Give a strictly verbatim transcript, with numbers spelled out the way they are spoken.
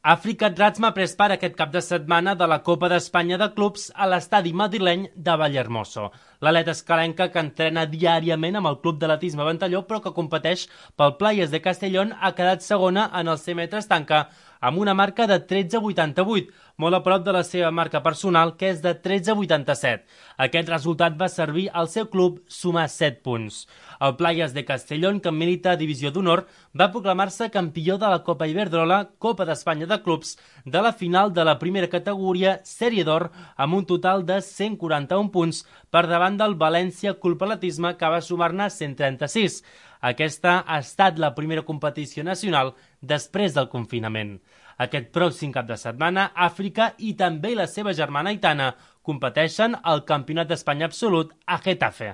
Àfrica Ratsma pres part aquest cap de setmana de la Copa d'Espanya de Clubs a l'estadi madrileny de Vallehermoso. L'atleta escalenca, que entrena diàriament amb el Club d'Atletisme Ventalló, però que competeix pel Playas de Castellón, ha quedat segona en els cent metres tanca amb una marca de tretze vuitanta-vuit, molt a prop de la seva marca personal, que és de tretze vuitanta-set. Aquest resultat va servir al seu club sumar set punts. El Playas de Castellón, que milita a Divisió d'Honor, va proclamar-se campió de la Copa Iberdrola, Copa d'Espanya de Clubs, de la final de la primera categoria Sèrie d'Or, amb un total de cent quaranta-un punts per davant del València Club Atletisme, que va sumar-ne cent trenta-sis. Aquesta ha estat la primera competició nacional després del confinament. Aquest pròxim cap de setmana, Àfrica i també la seva germana Aitana competeixen al Campionat d'Espanya Absolut a Getafe.